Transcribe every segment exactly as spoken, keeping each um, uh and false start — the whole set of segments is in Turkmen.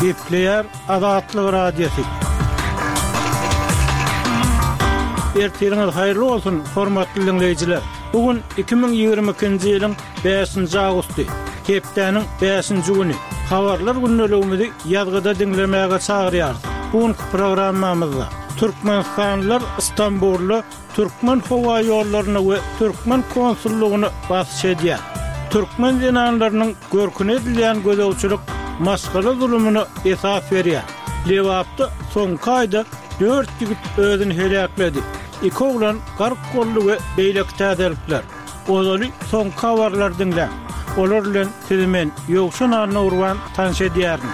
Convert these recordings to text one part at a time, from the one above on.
Gepleýär Azatlyk Radiosy. Ertiriňiz haýyrly bolsun, hormatly diňleýjiler. Bu gün iki müň ýigrimi ikinji ýylyň bäşinji awgusty, hepdäniň bäşinji güni. Habarlar gündeligimizi ýazgyda diňlemäge çagyrýarys. Bu günki programmamyzda Türkmenistanlylar Stambulda Türkmen howa ýollaryna we türkmen konsullygyna basyş edýär. Türkmen zenanlarynyň görküne edilýän gözegçilik maşgala zulumyna esas berýär. Lebapda soňky aýda dört ýigit özüni heläkledi. Iki oglan gark boldy we beýleki täzelikler. Ozaly soňky habarlary diňläň. Olar bilen sizi men, Ýowşan Annagurban tanyş edýärin.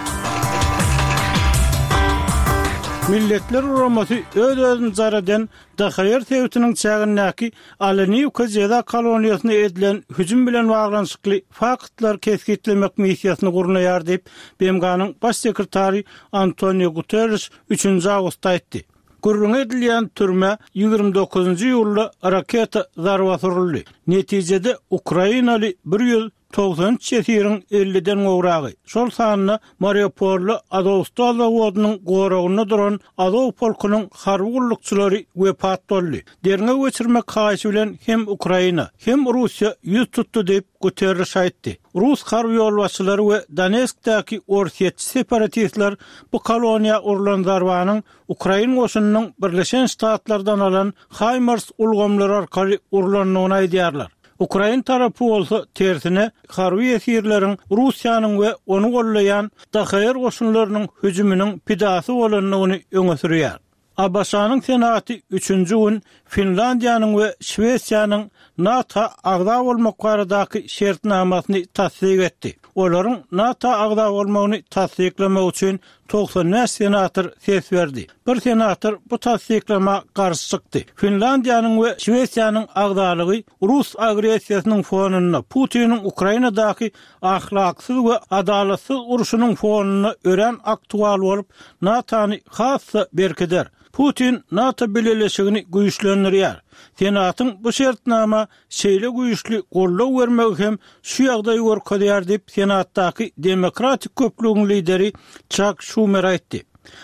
Milletler Guramasy öz-özüni jar eden D H R sebitiniň çägindäki Aleniwka jeza koloniýasyna edilen hüjüm bilen baglanyşykly faktlary kesgitlemek missiýasyny gurnaýar diýip, B M G-nyň baş sekretary Antonio Guterres üçünji awgustda aýtdy. Gürrüň edilýän türme ýigrimi dokuzynjy iýulda raketa zarbasy uruldy. Netijede Ukrainaly bir ýüz togsan üç ýesiriň elliden gowragy, şol sanda Mariupolda Azovstal zawodynyň goragynda duran Azov polkunyň harby gullukçylary wepat boldy. Derňew geçirmek haýyşy bilen hem Ukraina, hem Russiýa ýüz tutdy diýip Guterres aýtdy. Rus harby ýolbaşçylary we Donetskdäki orsýetçi separatistler bu koloniýa urlan zarbanyň Ukrain goşunynyň Birleşen Ştatlardan alan HIMARS ulgamlary arkaly urlandygyny aýdýarlar. Ukrain tarapy bolsa tersine harby esirleriň Russiýanyň we ony gollaýan D H R goşunlarynyň hüjüminiň pidasy bolandygyny öňe sürýär. A B Ş-nyň Senaty üçünji gün Finlandiýanyň we Şwesiýanyň NATO agza bolmak baradaky şertnamasyny tassyk etdi. Olaryň NATO agza bolmagyny tassyklamak üçin togsan bäş senator ses berdi. Bir senator bu tassyklama garşy çykdy. Finlandiýanyň we Şwesiýanyň agzalygy Rus agressiýasynyň fonunda Putiniň Ukrainadaky ahlaksyz we adalatsyz urşunyň fonunda örän aktual bolup, NATO-ny has-da berkider. Putin NATO bileleşigini güýçlendirýär. Senatyň bu şertnama şeýle güýçli goldaw bermegi hem şu ýagdaýy görkezýär diýip Senatdaky Demokratik köplügiň lideri Chuck Schumer aýtdy.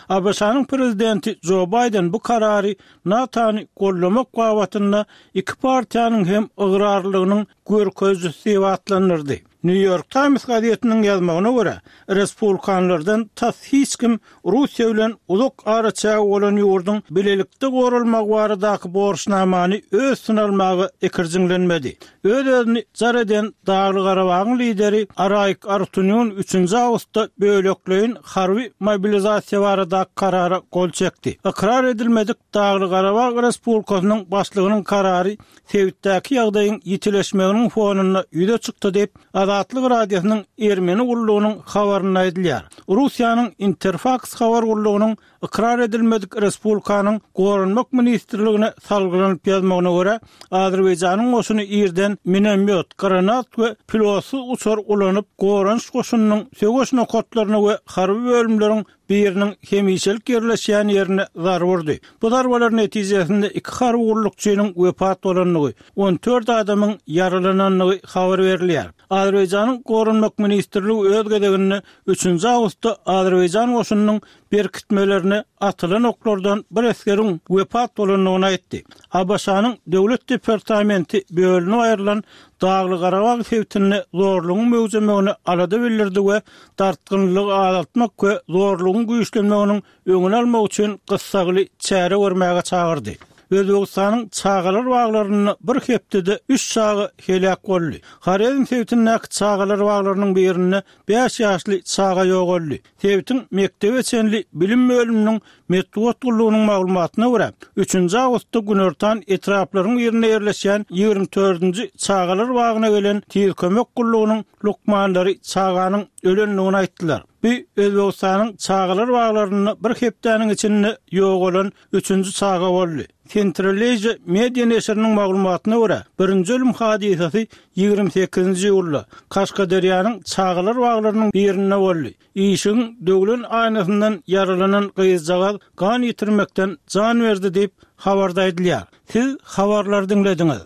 A B Ş-nyň prezidenti Joe Biden bu karary NATO-ny gollamak babatynda iki partiýanyň hem ygrarlygynyň görkezijisi diýip atlandyrdy. New York Times gazetiniň ýazmagyna görä, respublikanlardan tas hiç kim Russiýa bilen uzak araçägi bolan ýurduň bilelikde goralmagy baradaky borçnamany öz üstüne almaga ikirjiňlenmedi. Öz-özüni jar eden Dagly Garabagyň lideri Araik Arutyunýan üçünji awgustda bölekleýin harby mobilizasiýa baradaky karara gol çekdi. Ykrar edilmedik Dagly Garabag Respublikasynyň başlygynyň karary sebitdäki ýagdaýyň ýitileşmeginiň fonunda ýüze çykdy diýip Azatlyk Radiosynyň Ermeni gullugynyň habarynda aýdylýar. Russiýanyň Interfax habar gullugynyň ykrar edilmedik Respublikanyň Goranmak ministrligine salgylanyp ýazmagyna görä, Azerbaýjanyň goşuny irden minomyot, granat we pilotsyz uçar ulanyp, goranyş goşunynyň söweş nokatlaryna we harby bölümleriň biriniň hemişelik ýerleşýän ýerine zarba urdy. Bu zarbalar netijesinde iki harby gullukçynyň wepat bolandygy, on dört adamyň ýaralanandygy habar berilýär. Azerbaýjanyň Goranmak ministrligi öz gezeginde üçünji awgustda Azerbaýjan goşunynyň berkitmelerine atylan oklardan bir esgeriň wepat bolandygyny aýtdy. A B Ş-nyň Döwlet departamenti bölünip aýrylan Dagly Garabag sebitinde zorlugyň möwjemegine alada bildirdi we dartgynlygy azaltmak we zorlugyň güýçlenmeginiň öňüni almak üçin gyssagly çäre görmäge çagyrdy. Özbekistanyň çagalar baglarynda bir hepdede üç çaga heläk boldy. Horezm sebitindäki çagalar baglarynyň birinde bäş ýaşly çaga ýogaldy. Sebitiň mektebe çenli bilim bölüminiň metbugat gullugynyň maglumatyna görä, üçünji awgustda Günortan etraplaryň birinde ýerleşýän ýigrimi dördünji çagalar bagyna gelen tiz kömek gullugynyň lukmanlary çaganyň ölendigini aýtdylar. Bu Özbekistanyň çagalar baglarynda bir hepdäniň içinde ýogalan üçünji çaga boldy. Central Asia media neşiriniň maglumatyna görä, birinji ölüm hadysasy ýigrimi sekizinji iýulda Kaşgaderýanyň çagalar baglarynyň birinde boldy. Işigiň döwlen aýnasyndan ýaralanan gyzjagaz gan ýitirmekden jan berdi diýip habarda aýdylýar. Siz habarlary diňlediňiz.